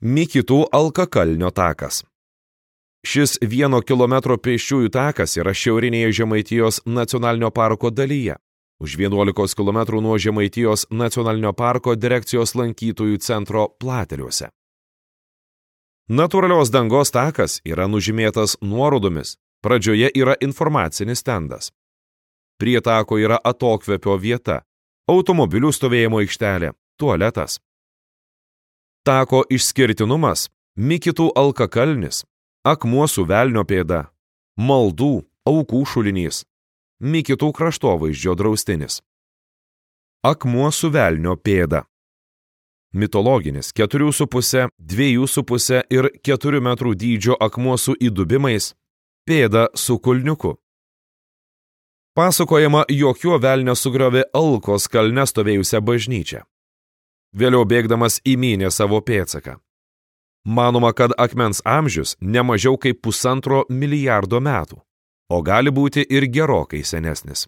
Mikitų alkakalnio takas. Šis 1 kilometro pėsčiųjų takas yra šiaurinėje Žemaitijos nacionalinio parko dalyje, už 11 km nuo Žemaitijos nacionalinio parko direkcijos lankytojų centro Plateliuose. Natūralios dangos takas yra nužymėtas nuorodomis, pradžioje yra informacinis stendas. Prie tako yra atokvėpio vieta, automobilių stovėjimo aikštelė, tualetas. Tako išskirtinumas – Mikitų alkakalnis, akmuo su velnio pėda, maldų, aukų šulinys, Mikitų kraštovaizdžio draustinis. Akmuo su velnio pėda. Mitologinis 4,5, 2,5 ir 4 metrų dydžio akmuo su įdubimais, pėda su kulniuku. Pasakojama, jog jo velnias sugriovė Alkos kalne stovėjusią bažnyčią. Vėliau bėgdamas įmynė savo pėdsaką. Manoma, kad akmens amžius ne mažiau kaip 1,5 milijardo metų, o gali būti ir gerokai senesnis.